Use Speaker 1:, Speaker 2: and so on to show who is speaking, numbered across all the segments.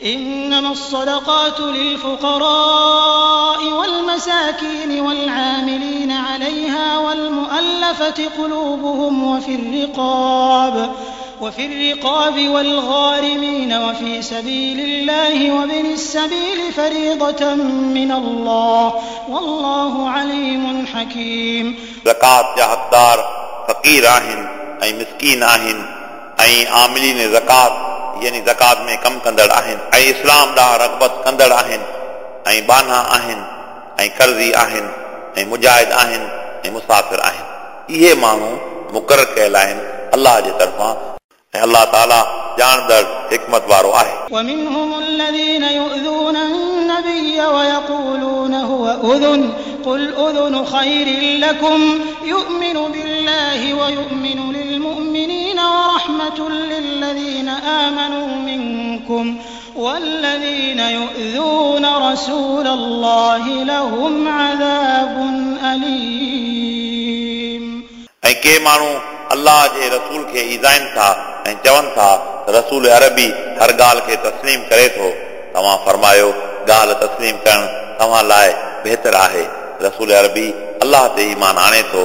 Speaker 1: إنما الصدقات للفقراء والمساكين والعاملين عليها والمؤلفة قلوبهم وفي الرقاب والغارمين وفي سبيل الله وابن السبيل فريضة من الله والله عليم حكيم.
Speaker 2: ज़कात जा हक़दार फ़क़ीर आहिनि ऐं मिसकीन आहिनि ऐं आमिलीन ज़कात यानी ज़कात में कमु कंदड़ आहिनि ऐं इस्लाम ॾांहुं रग़बत कंदड़ आहिनि ऐं बाना आहिनि ऐं कर्ज़ी आहिनि ऐं मुजाहिद आहिनि ऐं मुसाफ़िर आहिनि। इहे माण्हू मुक़ररु कयल आहिनि अलाह जे तरफ़ां ऐं अलाह ताला ॼाणंदड़ हिकमत वारो आहे।
Speaker 1: ومنهم الذين يؤذون النبي ويقولون هو أذن قل أذن خير لكم يؤمن بالله ويؤمن للمؤمنين ورحمة للذين آمنوا منكم والذين يؤذون رسول الله لهم عذاب أليم.
Speaker 2: ऐं के माण्हू अलाह जे रसूल खे ईज़ाइनि था ऐं चवनि था त रसूल अरबी हर ॻाल्हि खे तस्लीम करे थो। तव्हां फरमायो ॻाल्हि तस्लीम करणु तव्हां लाइ बहितर आहे। रसूल अरबी अलाह ते ईमान आणे थो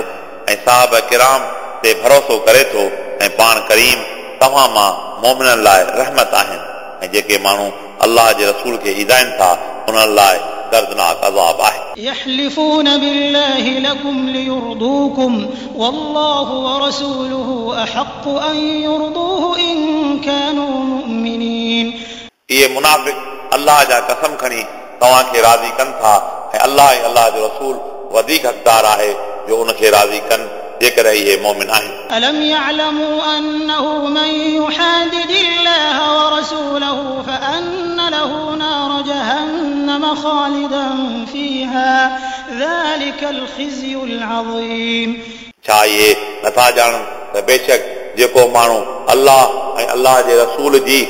Speaker 2: ऐं साहब किराम ते भरोसो करे थो ऐं पाण करीम तव्हां मां मोमिननि लाइ रहमत आहिनि ऐं जेके माण्हू अलाह जे रसूल खे ईज़ाइनि था उन्हनि लाइ दर्दनाक अज़ाब आहे।
Speaker 1: يحلفون بالله لكم ليرضوكم والله ورسوله أحق أن يرضوه إن كانوا مؤمنين.
Speaker 2: इहे मुनाफ़िक अलाह जा कसम खणी तव्हांखे राज़ी कनि था ऐं अलाह ऐं अलाह जो रसूल वधीक हक़दार आहे जो उनखे राज़ी कनि जेकॾहिं इहे मोमिन आहिनि।
Speaker 1: ألم يعلموا أنه من يحادد الله ورسوله فأن له نار جهنم خالدا فيها ذلك الخزي العظيم.
Speaker 2: छा इहे नथा ॼाणनि त बेशक जेको माण्हू अलाह ऐं अलाह जे रसूल जी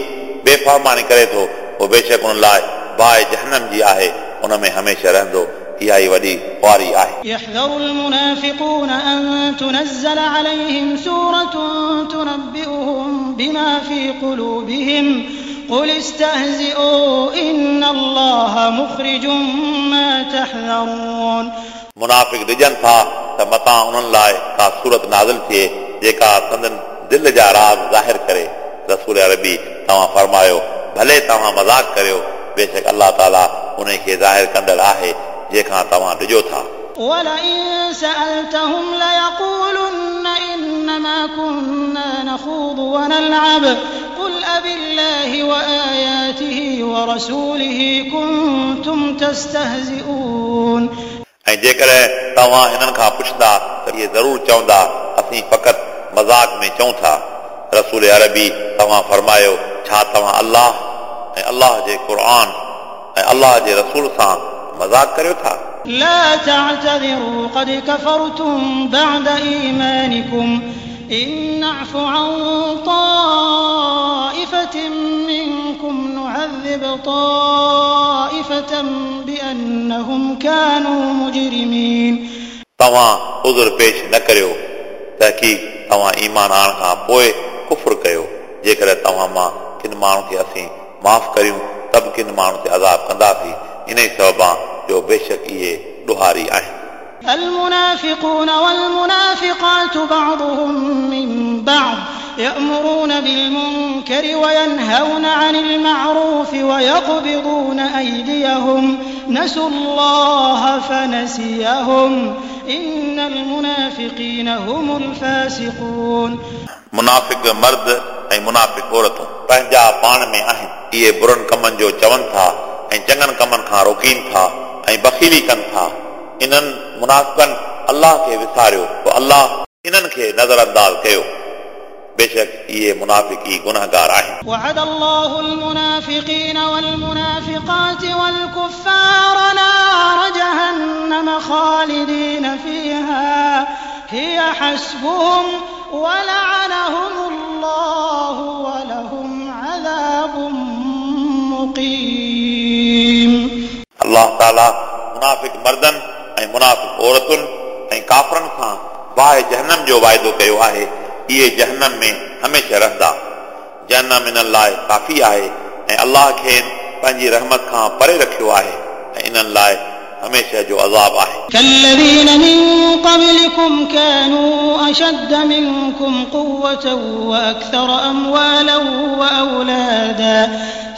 Speaker 2: बेफ़रमानी करे थो उहो बेशक उन लाइ बाहि जहनम जी आहे, उन में हमेशह रहंदो। इहा ई वॾी ख़ुआरी आहे।
Speaker 1: يحذر المنافقون أن تنزل عليهم سورة تنبئهم بما في قلوبهم قل استهزئوا إن الله مخرج ما تحذرون.
Speaker 2: मुनाफ़िक ॾिजनि था त मतां उन्हनि लाइ का सूरत नाज़िल थिए जेका संदन दिलि जा राज़ ज़ाहिर करे। रसूल अरबी तव्हां फरमायो भले तव्हां मज़ाक करियो, बेशक अलाह ताला उन खे ज़ाहिर कंदड़ आहे जंहिंखां तव्हां ॾिजो था।
Speaker 1: ولئن سألتهم ليقولن إنما كنا نخوض ونلعب قل أبالله وآياته ورسوله كنتم تستهزئون.
Speaker 2: ऐं जेकॾहिं तव्हां हिननि खां पुछंदा त इहे ज़रूरु चवंदा असीं फ़क़ति मज़ाक में चऊं था। रसूल अरबी तव्हां फरमायो छा तव्हां अलाह ऐं अलाह जे क़ुर ऐं अलाह जे रसूल सां मज़ाक करियो था?
Speaker 1: لا تعتذروا قد كفرتم بعد إيمانكم إن نعف عن طائفة منكم نعذب طائفة بأنهم كانوا مجرمين.
Speaker 2: तव्हां उज़ुर पेश न करियो, तहक़ीक़ तव्हां ईमान आणण खां पोइ कुफुर कयो। जेकॾहिं तव्हां मां किन माण्हू खे असीं माफ़ करियूं त बि किन माण्हू ते अज़ाब कंदासीं, इन ई सबबां जो बेशक इहे ॾुहारी आहिनि।
Speaker 1: المنافقون والمنافقات بعضهم من بعض يأمرون بالمنكر وينهون عن المعروف ويقبضون أيديهم نسوا الله فنسيهم إن المنافقين هم الفاسقون.
Speaker 2: मुनाफ़िक मर्द ऐं मुनाफ़िक औरतूं पंहिंजा पाण में आहिनि। इहे बुरनि कमनि जो चवनि था ऐं चङनि कमनि खां रोकीनि था ऐं बख़ीली कनि था। इन्हनि मुनाफ़िकनि अलाह खे विसारियो पोइ अलाह इन्हनि खे नज़र अंदाज़ कयो। बेशक इहे मुनाफ़िक ई गुनहगार आहिनि।
Speaker 1: وعد الله المنافقين والمنافقات والكفار نار جهنم خالدين فيها هي حسبهم ولعنهم الله ولهم عذاب مقيم.
Speaker 2: अलाह ताला मुनाफ़िक मर्दनि ऐं मुनाफ़िक औरतुनि ऐं काफ़रनि सां बाहि जहनम जो वाइदो कयो आहे। इहे जहनम में हमेशह रहंदा। जहनम इन्हनि लाइ काफ़ी आहे ऐं अलाह खेनि पंहिंजी रहमत खां परे रखियो आहे ऐं इन्हनि लाइ हमेशह जो अज़ाब आहे।
Speaker 1: كالذين من قبلكم كانوا أشد منكم قوة وأكثر أموالا وأولادا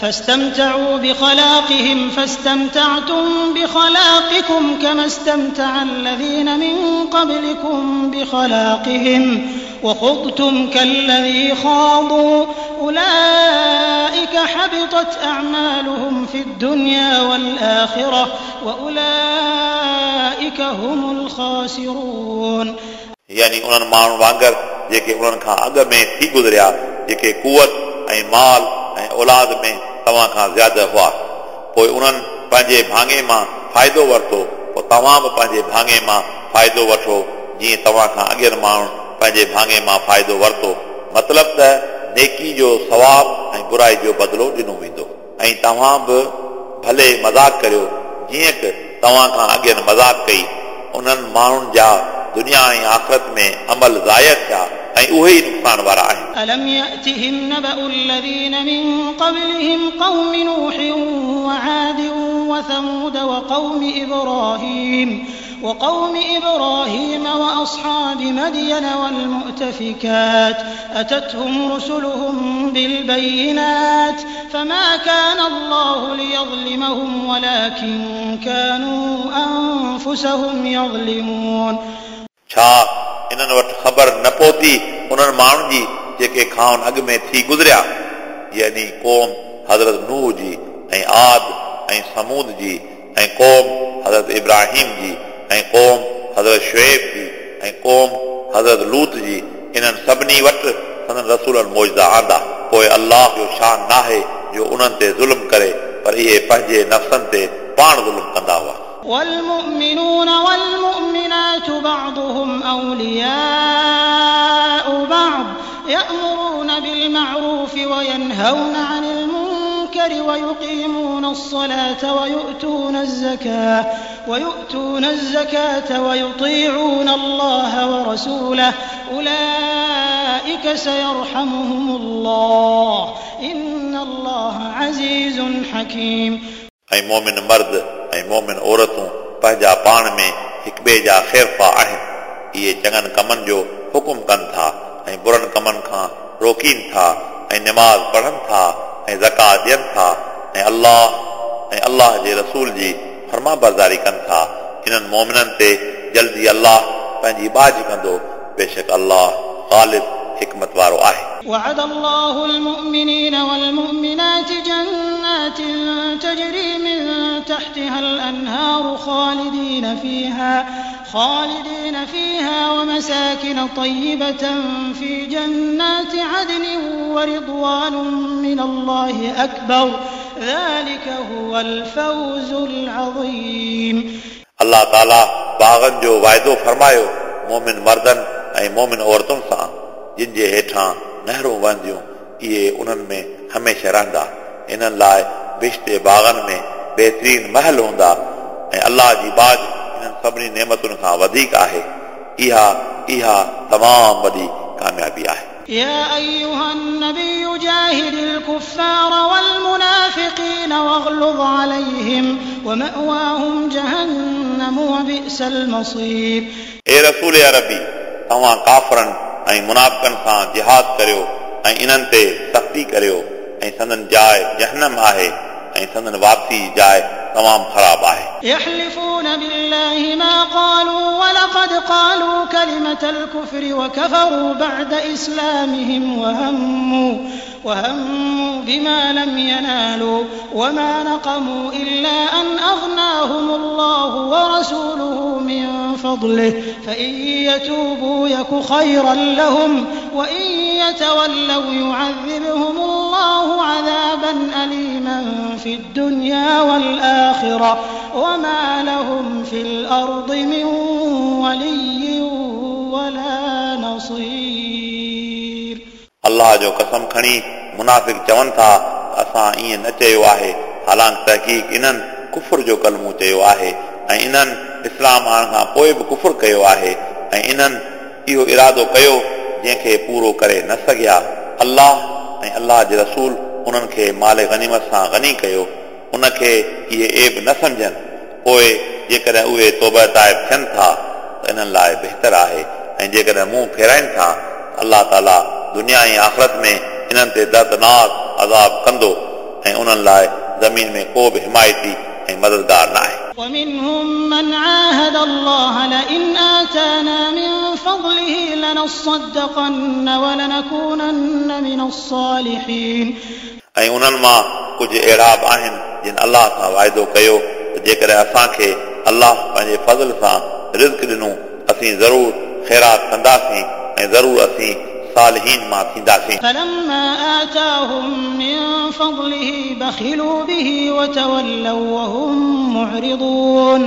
Speaker 1: فاستمتعوا بخلاقهم فاستمتعتم بخلاقكم كما استمتع الذين من قبلكم بخلاقهم وخضتم كالذي خاضوا أولئك حبطت أعمالهم في الدنيا والآخرة وأولئك هم الخاسرون।
Speaker 2: यानी उन्हनि माण्हुनि वांगुरु जेके उन्हनि खां अॻु में थी गुज़रिया, जेके कुवत ऐं माल ऐं औलाद में तव्हां खां ज़्यादा हुआ, पोइ उन्हनि पंहिंजे भाङे मां फ़ाइदो वरितो, पोइ तव्हां बि पंहिंजे भाङे मां फ़ाइदो वठो जीअं तव्हां खां अॻियनि माण्हुनि पंहिंजे भाङे मां फ़ाइदो वरितो। मतिलबु त नेकी जो सवाब ऐं बुराई जो बदिलो ॾिनो वेंदो। ऐं तव्हां बि भले मज़ाक करियो जीअं की तव्हां खां अॻियनि मज़ाक कई। उन्हनि माण्हुनि जा दुनिया ऐं आख़िरत में अमल ज़ाया थिया ऐं उहे ई नुक़सान वारा आहिनि।
Speaker 1: ألم يأتهم نبأ الذين من قبلهم قوم نوح وعاد وثمود وقوم إبراهيم وأصحاب مدين والمؤتفكات أتتهم رسلهم بالبينات فما كان الله ليظلمهم ولكن كانوا أنفسهم يظلمون।
Speaker 2: छा इन्हनि वटि ख़बर न पहुती उन्हनि माण्हुनि जी जेके खाउनि अॻु में थी गुज़रिया, यानी क़ौम हज़रत नूह जी ऐं आद ऐं समूद जी ऐं क़ौम हज़रत इब्राहिम जी ऐं क़ौम हज़रत शुएब जी ऐं क़ौम हज़रत लूत जी। इन्हनि सभिनी वटि संदन रसूलनि मौजदा आंदा। पोइ अल्लाह जो शान नाहे जो उन्हनि ते ज़ुल्म करे, पर इहे पंहिंजे नफ़्सनि ते पाण ज़ुल्म कंदा हुआ।
Speaker 1: والمؤمنون والمؤمنات بعضهم أولياء بعض يأمرون بالمعروف وينهون عن المنكر ويقيمون الصلاة ويؤتون الزكاة ويطيعون الله ورسوله أولئك سيرحمهم الله إن الله عزيز حكيم।
Speaker 2: ऐं मोमिन मर्द ऐं मोमिन औरतूं पंहिंजा पाण में हिक ॿिए जा ख़ैरफ़ा आहिनि। इहे चङनि कमनि जो हुकुम कनि था ऐं बुरनि कमनि खां रोकीनि था ऐं नमाज़ पढ़नि था ऐं ज़कात ॾियनि था ऐं अल्लाह जे रसूल जी फर्मा बरदारी कनि था। इन्हनि मोमिननि ते जल्दी अल्लाह पंहिंजी बाज कंदो। बेशक अल्लाह ग़ालिब हिकमत वारो आहे।
Speaker 1: وعد الله المؤمنين والمؤمنات جنات تجري من تحتها الأنهار خالدين فيها ومساكن طيبة في جنات عدن ورضوان من الله أكبر ذلك هو الفوز العظيم।
Speaker 2: अल्लाह ताला बाग़नि जो वाइदो फरमायो मोमिन मर्दनि ऐं मोमिन औरतुनि सां जिन जे हेठां नहरूं वहंदियूं, इहे उन्हनि में हमेशह रहंदा। इन्हनि लाइ बिश्ते बाग़नि में बहितरीन महल हूंदा ऐं अल्लाह जी बाज इन्हनि सभिनी नेमतुनि खां वधीक आहे। इहा इहा तमामु वॾी कामयाबी आहे।
Speaker 1: يا أيها النبي جاهد الكفار والمنافقين واغلظ عليهم ومأواهم جهنم وبئس المصير।
Speaker 2: ए रसूल अरबी, तव्हां काफ़रनि ऐं मुनाफ़िक़नि सां जिहाद करियो ऐं इन्हनि ते सख़्ती करियो ऐं संदन जाइ जहनम आहे ऐं संदन वापसी जी जाइ तमामु ख़राब आहे।
Speaker 1: يحلفون بالله ما قالوا ولقد قالوا كلمة الكفر وكفروا بعد إسلامهم وهموا بما لم ينالوا وما نقموا إلا أن أغناهم الله ورسوله من فضله فإن يتوبوا يك خيرا لهم وإن يتولوا يعذبهم الله عذابا أليما في الدنيا والآخرة وما لهم في الأرض من ولي ولا نصير।
Speaker 2: अल्लाह जो कसम खणी मुनाफ़िक चवनि था असां ईअं न चयो आहे, हालांकि तहक़ीक़ इन्हनि कुफुर जो कलमो चयो आहे ऐं इन्हनि इस्लाम आणण खां पोइ बि कुफुर कयो आहे ऐं इन्हनि इहो इरादो कयो जंहिंखे पूरो करे न सघिया। अल्लाह ऐं अल्लाह जे रसूल उन्हनि खे माल गनीमत सां गनी कयो, उनखे इहे ऐब न सम्झनि। पोइ जेकॾहिं उहे तौबा ताइब थियनि था त इन्हनि लाइ बहितर आहे, ऐं जेकॾहिं मुंहुं फेराइनि था त अलाह ताला दुनिया ऐं आख़िरत में इन्हनि ते दर्दनाक अज़ाब कंदो ऐं उन्हनि लाइ ज़मीन में को बि हिमायती ऐं मददगार न आहे।
Speaker 1: ومنهم من عاهد الله لئن آتانا من فضله لنصدقن ولنكونن من الصالحين।
Speaker 2: ऐं उन्हनि मां कुझु अहिड़ा बि आहिनि जिन अलाह सां वाइदो कयो त जेकॾहिं असांखे अलाह पंहिंजे फज़ल सां रिज़्क ॾिनो असीं ज़रूर ख़ैरात कंदासीं ऐं ज़रूर असीं सालिहीन मां थींदासीं।
Speaker 1: فلما آتاهم من فضله بخلوا به وتولوا وهم معرضون।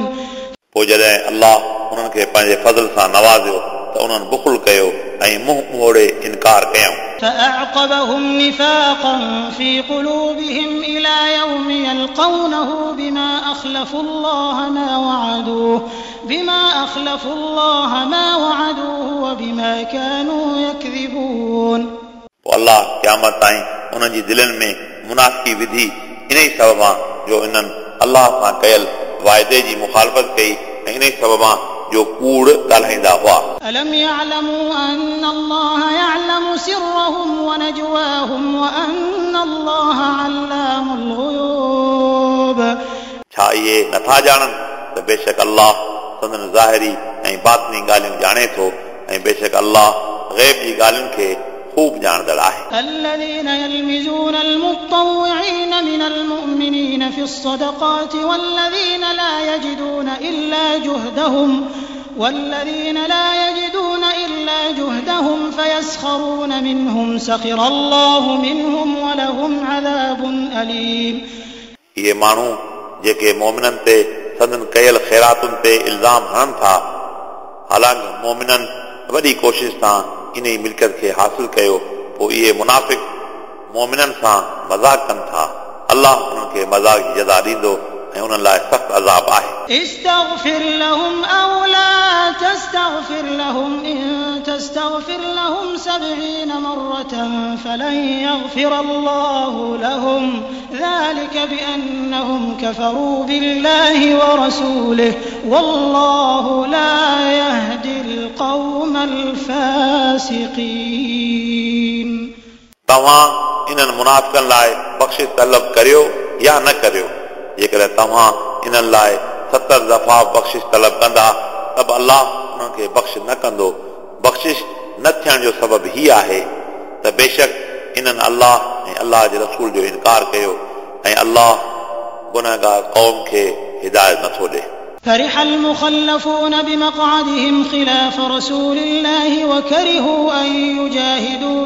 Speaker 2: पोइ जॾहिं अलाह उन्हनि खे पंहिंजे फज़ल सां नवाज़ियो त उन्हनि बुखुल कयो ऐं मुंहुं मोड़े इनकार कयऊं।
Speaker 1: فأعقبهم نفاقا في قلوبهم إلى يوم يلقونه بما أخلفوا الله ما وعدوه وبما كانوا يكذبون।
Speaker 2: पोइ अलाह क़यामत ताईं उन्हनि जी दिलनि में मुनाफ़िकी विधी इन ई सबबा जो इन्हनि अलाह सां कयल वाइदे जी मुखालफ़त कई ऐं इन ई सबबा जो कूड़ ॻाल्हाईंदा हुआ।
Speaker 1: ألم يعلموا أن الله يعلم سرهم ونجواهم وأن الله علام الغيوب।
Speaker 2: छा इहे नथा ॼाणनि त बेशक अलाह संदन ज़ाहिरी ऐं बातिनी ॻाल्हियूं ॼाणे थो ऐं बेशक अलाह ग़ैब जी ॻाल्हियुनि खे ख़ूब ॼाणंदड़ आहे।
Speaker 1: الذين يلمزون المطوعين من المؤمنين في الصدقات والذين لا يجدون إلا جهدهم فيسخرون منهم سخر الله منهم ولهم عذاب أليم।
Speaker 2: इहे माण्हू जेके मोमिननि ते संदन कयल ख़ैरातुनि ते इल्ज़ाम हणनि था, हालांकि मोमिननि वॾी कोशिश सां इन ई मिल्कियत खे हासिल कयो, पोइ इहे मुनाफ़िक मोमिननि सां मज़ाक कनि था। अलाह उन्हनि खे मज़ाक जी जज़ा ॾींदो ऐं उन्हनि लाइ सख़्तु अज़ाब आहे।
Speaker 1: استغفر لهم أو لا تستغفر لهم إن تستغفر لهم 70 مرة فلن يغفر الله لهم ذلك بأنهم كفروا بالله ورسوله والله لا يهدي القوم الفاسقين।
Speaker 2: तव्हां इन्हनि मुनाफ़िकनि लाइ बख़्शिश तलब करियो या न करियो, जेकॾहिं तव्हां इन्हनि लाइ 70 दफ़ा बख़्शिश तलब कंदा त बि अलाह उन्हनि खे बख़्श न कंदो। बख़्शिश न थियण जो सबबु हीउ आहे त बेशक इन्हनि अलाह ऐं अलाह जे रसूल जो इनकार कयो ऐं अलाह गुनहगार क़ौम खे हिदायत नथो ॾिए।
Speaker 1: فرح المخلفون بمقعدهم خلاف رسول الله وكرهوا أن يجاهدوا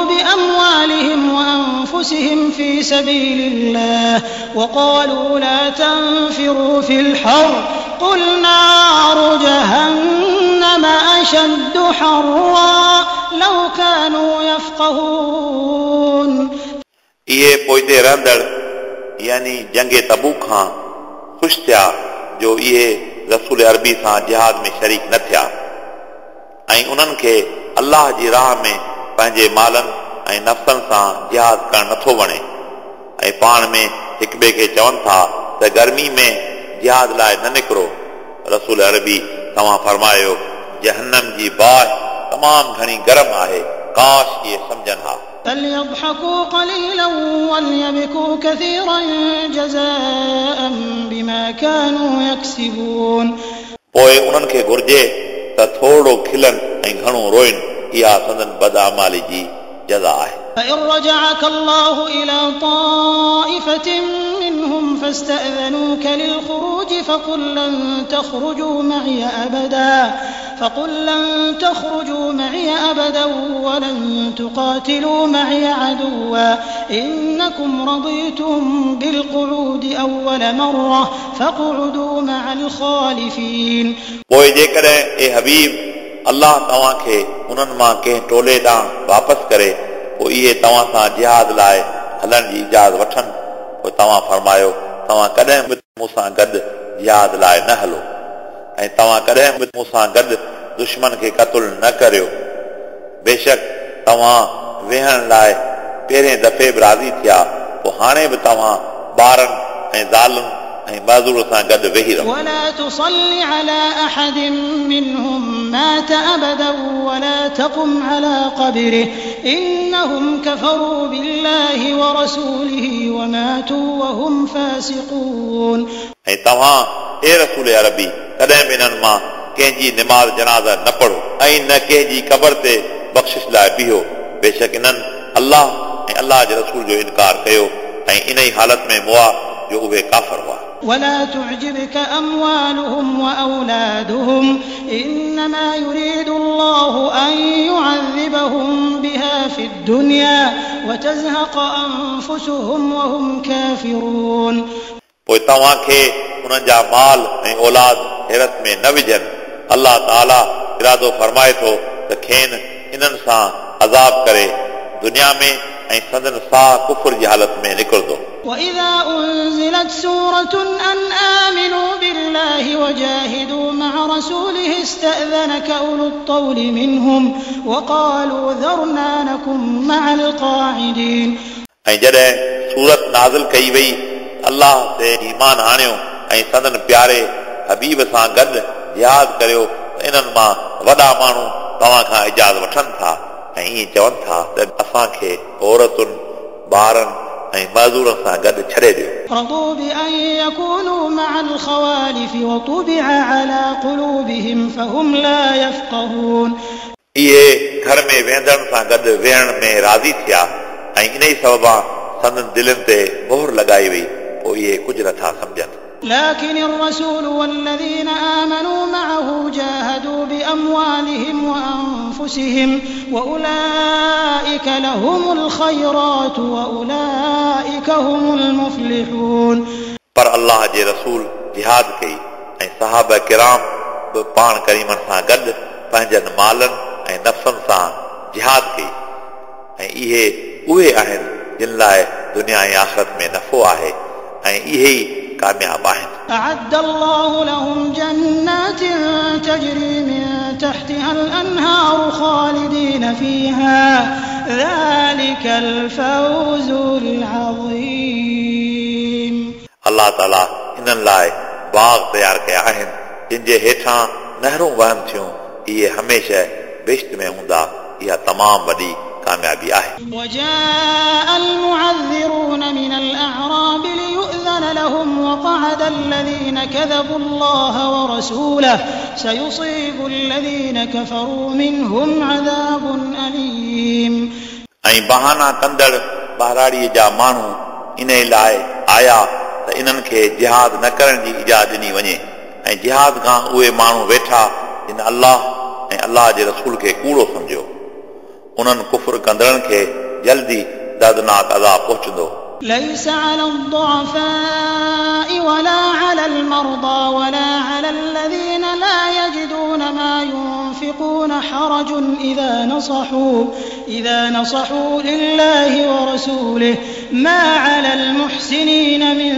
Speaker 1: بأموالهم وأنفسهم في سبيل الله وقالوا لا تنفروا في الحر قل نار جهنم أشد حرا لو كانوا يفقهون।
Speaker 2: इहे पोइते रहंदड़ यानी जंगे तबूक खां ख़ुशि थिया जो इहे रसूल अरबी सां जिहाद में शरीक न थिया ऐं उन्हनि खे अलाह जी राह में पंहिंजे मालनि ऐं नफ़्सनि सां जिहाद करणु नथो वणे ऐं पाण में हिक ॿिए खे चवनि था त गर्मी में जिहाद लाइ न निकिरो। रसूल अरबी तव्हां फरमायो, जहन्नम जी बाहि तमामु घणी गरम आहे, काश इहे सम्झनि हा।
Speaker 1: فليضحكوا قليلا وليبكوا كثيرا جزاء بما كانوا يكسبون।
Speaker 2: पोइ उन्हनि खे घुर्जे त थोरो खिलनि ऐं घणो रोइनि, इहा संदन बदआमाली जी जज़ा आहे।
Speaker 1: فإن رجعك الله إلى طائفة منهم فاستأذنوك للخروج فقل لن تخرجوا معي أبدا ولن تقاتلوا معي عدوا إنكم رضيتم بالقعود أول مرة فاقعدوا مع الخالفين.
Speaker 2: पोइ जेकॾहिं ए हबीब अलाह तव्हांखे उन्हनि मां कंहिं टोले ॾांहुं वापसि करे पोइ इहे तव्हां सां जिहाद लाइ हलण जी इजाज़त वठनि, पोइ तव्हां फरमायो, तव्हां कॾहिं बि मूंसां गॾु जिहाद लाइ न हलो ऐं तव्हां कॾहिं बि मूंसां गॾु दुश्मन खे क़तल न करियो। बेशक तव्हां वेहण लाइ पहिरें दफ़े बि राज़ी थिया, पोइ हाणे बि तव्हां ॿारनि ऐं ज़ालुनि ऐं मज़ूर सां गॾु वेही रहो।
Speaker 1: ولا تصل على أحد منهم مات أبدا ولا تقم على قبره إنهم كفروا بالله ورسوله وماتوا وهم فاسقون।
Speaker 2: ऐं तव्हां ए रसूल अरबी कॾहिं बि इन्हनि मां कंहिंजी निमाज़ जनाज़ा न पढ़ो ऐं न कंहिंजी क़बर ते बख़्शिश लाइ बीहो। बेशक इन्हनि अल्लाह ऐं अल्लाह जे रसूल जो इनकार कयो ऐं इन ई हालत में मुआ जो उहे काफ़र हुआ।
Speaker 1: ولا تعجبك أموالهم وأولادهم إنما يريد الله أن يعذبهم بها في الدنيا وتزهق أنفسهم وهم كافرون।
Speaker 2: पोइ तव्हांखे उन्हनि जा माल ऐं औलाद हैरत में न विझनि। अल्लाह ताला इरादो फरमाए थो त खेनि इन्हनि सां अज़ाब करे दुनिया में ऐं संदन साह कुफर जी हालत में निकिरंदो।
Speaker 1: وإذا أنزلت سورة أن آمنوا بالله وجاهدوا مع رسوله استأذنك أولو الطول منهم وقالوا ذرنا نكن مع القاعدين।
Speaker 2: ऐं जॾहिं सूरत नाज़िल कई वई अल्लाह ते ईमान आणियो ऐं संदन प्यारे हबीब सां गॾु जिहाद करियो त इन्हनि मां वॾा माण्हू तव्हां खां इजाज़त वठनि था ऐं ईअं चवनि था त असांखे औरतुनि, ॿारनि ऐं मज़ूरनि सां गॾु छॾे ॾियो।
Speaker 1: رضوا بأن يكونوا مع الخوالف وطبع على قلوبهم فهم لا يفقهون।
Speaker 2: इहे घर में वेंदड़नि सां गॾु वेहण में राज़ी थिया ऐं इन ई सबबां संदन दिलनि ते मोहर लॻाई वई, पोइ इहे कुझु नथा सम्झनि।
Speaker 1: لكن الرسول والذين آمنوا معه جاهدوا بأموالهم وأنفسهم وأولئك لهم الخيرات وأولئك هم المفلحون।
Speaker 2: पर अल्लाह जे रसूल जिहाद कई ऐं सहाबा किराम बि पाण करीमनि सां गॾु पंहिंजनि मालनि ऐं नफ़्सनि सां जिहाद कई ऐं इहे उहे आहिनि जिन लाइ दुनिया ऐं आख़िरत में नफ़ो आहे ऐं इहे ई कामयाब आहिनि।
Speaker 1: أعد الله لهم جنات تجري من تحتها الأنهار خالدين فيها ذلك الفوز العظيم।
Speaker 2: अल्लाह ताला इन्हनि लाइ बाग़ तयारु कया आहिनि जिन जे हेठां नहरूं वहनि थियूं, इहे हमेशह बहिश्त में हूंदा। इहा तमामु वॾी कामयाबी आहे।
Speaker 1: وجاء المعذرون من الأعراب ليؤذن لهم وقعد الذين كذبوا الله ورسوله سيصيب الذين كفروا منهم عذاب أليم।
Speaker 2: ऐं बहाना कंदड़ ॿाहिराड़ीअ जा माण्हू इन लाइ आया त इन्हनि खे जिहाद न करण जी इजाज़त ॾिनी वञे ऐं जिहाद खां उहे माण्हू वेठा जिन अल्लाह ऐं अल्लाह जे रसूल खे कूड़ो सम्झियो। उन्हनि कुफर कंदड़नि खे जल्दी दर्दनाक अज़ाब पहुचंदो।
Speaker 1: ليس على الضعفاء ولا على المرضى ولا على الذين لا يجدون ما ينفقون حرج إذا نصحوا لله ورسوله ما على المحسنين من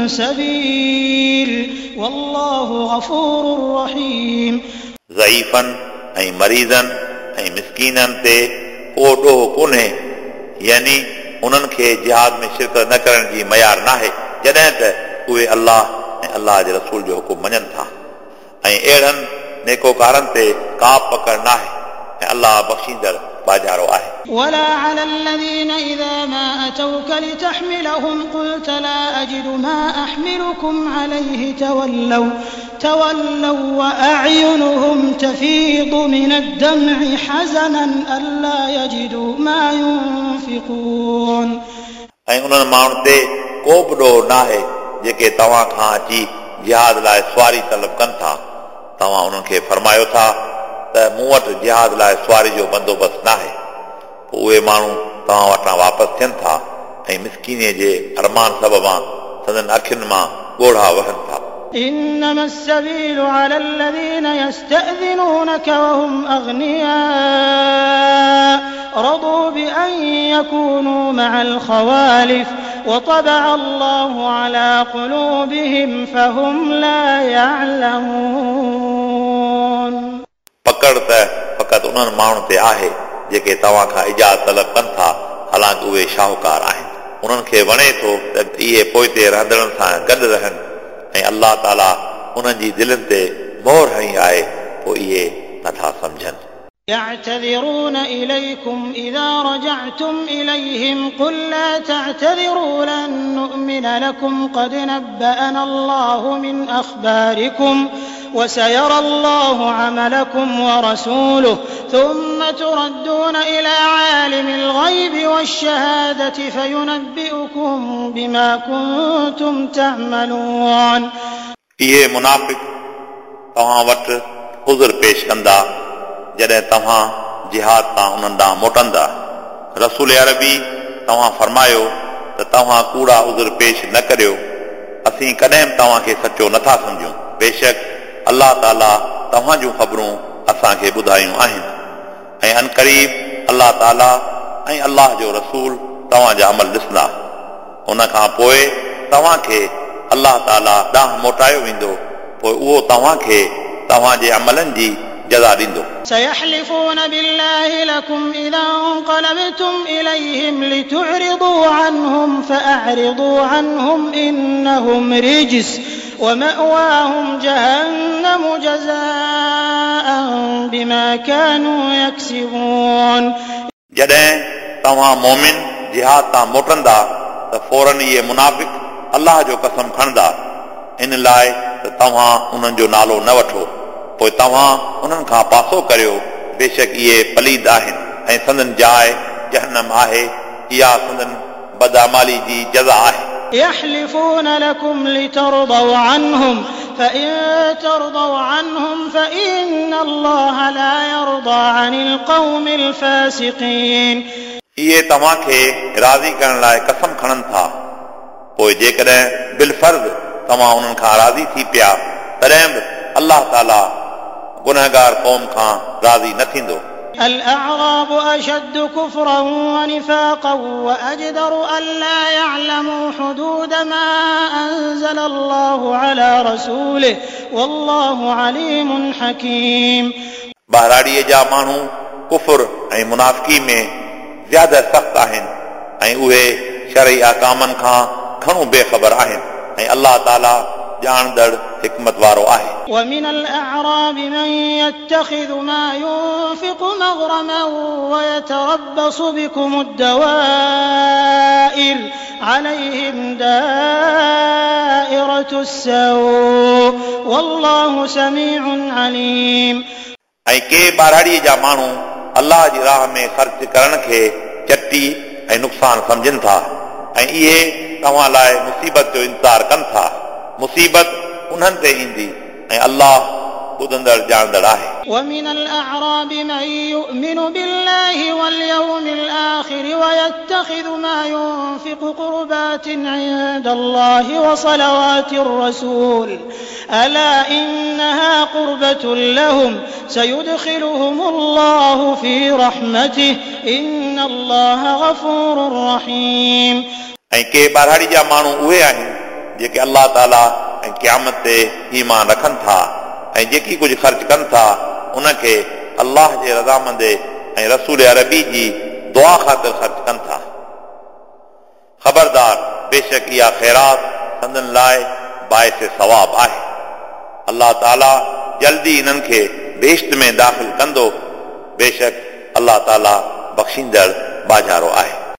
Speaker 1: سبيل والله غفور رحيم।
Speaker 2: ज़ईफ़नि ऐं मरीज़नि ऐं मिसकीननि ते को ॾोह कोन्हे, यानी उन्हनि खे जिहाद में शिरकत न करण जी मयार नाहे, जॾहिं त उहे अल्लाह ऐं अल्लाह जे रसूल जो हुकुम मञनि था ऐं अहिड़नि नेकोकारनि ते का पकड़ नाहे ऐं अल्लाह बख़्शींदड़ बाजारो आहे।
Speaker 1: ولا على الذين إذا ما أتوك لتحملهم قلت لا أجد ما أحملكم عليه تولوا وأعينهم تفيض من الدمع حزنا ألا يجدوا ما ينفقون।
Speaker 2: ऐं उन्हनि माण्हुनि ते को बि ॾोह नाहे जेके तव्हां खां अची जिहाद लाइ सुवारी तलब कनि था। तव्हां उन्हनि खे फरमायो था त मूं वटि जिहाद लाइ सुवारी जो बंदोबस्तु नाहे, पोइ उहे माण्हू तव्हां वटां वापसि थियनि था ऐं मिसकीनीअ जे अरमान सबबां संदन अखियुनि मां ॻोढ़ा वहनि था।
Speaker 1: إنما السبيل على الذين يستأذنونك وهم أغنياء رضوا بأن يكونوا مع الخوالف وطبع الله على قلوبهم فهم لا يعلمون.
Speaker 2: पकड़ त फ़क़ति उन्हनि माण्हुनि ते आहे जेके तव्हां खां इजाज़त तलब कनि था, हालांकि उहे शाहूकार आहिनि। उन्हनि खे वणे थो त इहे पोइते रहंदड़नि सां गॾु रहनि ऐं अलाह ताला उन्हनि जी दिलनि ते मोहर हणी आहे, पोइ इहे नथा सम्झनि।
Speaker 1: يعتذرون إليكم إذا رجعتم إليهم قل لا تعتذروا لن نؤمن لكم قد نبأنا الله من أخباركم وسيرى الله عملكم ورسوله ثم تردون إلى عالم الغيب والشهادة فينبئكم بما كنتم تعملون।
Speaker 2: इहे मुनाफ़िक तव्हां वटि उज़ुर पेश कंदा जॾहिं तव्हां जिहाद तां उन्हनि ॾांहुं मोटंदा। रसूल अरबी तव्हां फरमायो त तव्हां कूड़ा उज़ुर पेश न करियो, असीं कॾहिं बि तव्हांखे सचो नथा सम्झूं। बेशक अलाह ताला तव्हां जूं ख़बरूं असांखे ॿुधायूं आहिनि ऐं अनक़रीब अलाह ताला ऐं अलाह जो रसूल तव्हांजा अमल ॾिसंदा। उन खां पोइ तव्हांखे अलाह ताला ॾांहुं मोटायो वेंदो, पोइ उहो तव्हांखे तव्हांजे अमलनि जी जज़ा ॾींदो।
Speaker 1: سيحلفون بالله لكم إذا انقلبتم إليهم لتعرضوا عنهم فأعرضوا عنهم إنهم رجس ومأواهم جهنم جزاء بما كانوا يكسبون।
Speaker 2: जॾहिं तव्हां मोमिन जिहाद तां मोटंदा त फ़ौरन इहे मुनाफ़िक अलाह जो कसम खणंदा, इन लाइ त तव्हां उन्हनि जो नालो न वठो, पोइ तव्हां उन्हनि खां पासो करियो, बेशक इहे पलीद आहिनि ऐं संदन जाइ जहनम आहे, इहा संदन बदअमाली जी जज़ा आहे।
Speaker 1: يحلفون لكم لترضوا عنهم فإن ترضوا عنهم فإن الله لا يرضى عن القوم الفاسقين।
Speaker 2: इहे तव्हांखे राज़ी करण लाइ कसम खणनि था, पोइ जेकॾहिं बिलफ़र्ज़ तव्हां उन्हनि खां राज़ी थी पिया तॾहिं बि अलाह ताला गुनहगार क़ौम खां राज़ी न थींदो।
Speaker 1: الأعراب أشد كفرا ونفاقا وأجدر ألا يعلموا حدود ما أنزل الله على رسوله والله عليم حكيم।
Speaker 2: ॿाहिराड़ीअ जा माण्हू कुफुर ऐं मुनाफ़िकी में ज़्यादा सख़्तु आहिनि ऐं उहे शरई अहकामनि खां घणो बेख़बर आहिनि ऐं अलाह ताला ॼाणंदड़ हिकमत वारो आहे।
Speaker 1: ومن الأعراب من يتخذ ما ينفق مغرما ويتربص بكم الدوائر عليهم دائرة السوء والله سميع عليم।
Speaker 2: ऐं के ॿाहिराड़ीअ जा माण्हू अलाह जी राह में ख़र्च करण खे चटी ऐं नुक़सानु सम्झनि था ऐं इहे तव्हां लाइ मुसीबत जो इंतज़ारु कनि था, मुसीबत उन्हनि ते ईंदी ऐं अलाह ॿुधंदड़ ॼाणंदड़ आहे।
Speaker 1: ومن الأعراب من يؤمن بالله واليوم الآخر ويتخذ ما ينفق قربات عند الله وصلوات الرسول ألا إنها قربة لهم سيدخلهم الله في رحمته إن الله غفور رحيم।
Speaker 2: ऐं के ॿाहिराड़ी जा माण्हू उहे आहिनि जेके अलाह ताला ऐं क़यामत ते ईमान रखनि था ऐं जेकी कुझु ख़र्च कनि था उनखे अलाह जे रज़ामंदे ऐं रसूल अरबी जी दुआ ख़ातिर ख़र्च कनि था। ख़बरदार, बेशक इहा ख़ैरात संदन लाइ बाइस सवाब आहे। अलाह ताला जल्दी इन्हनि खे बेश्त में दाख़िल कंदो, बेशक अलाह ताला बख़्शींदड़ बाजारो आहे।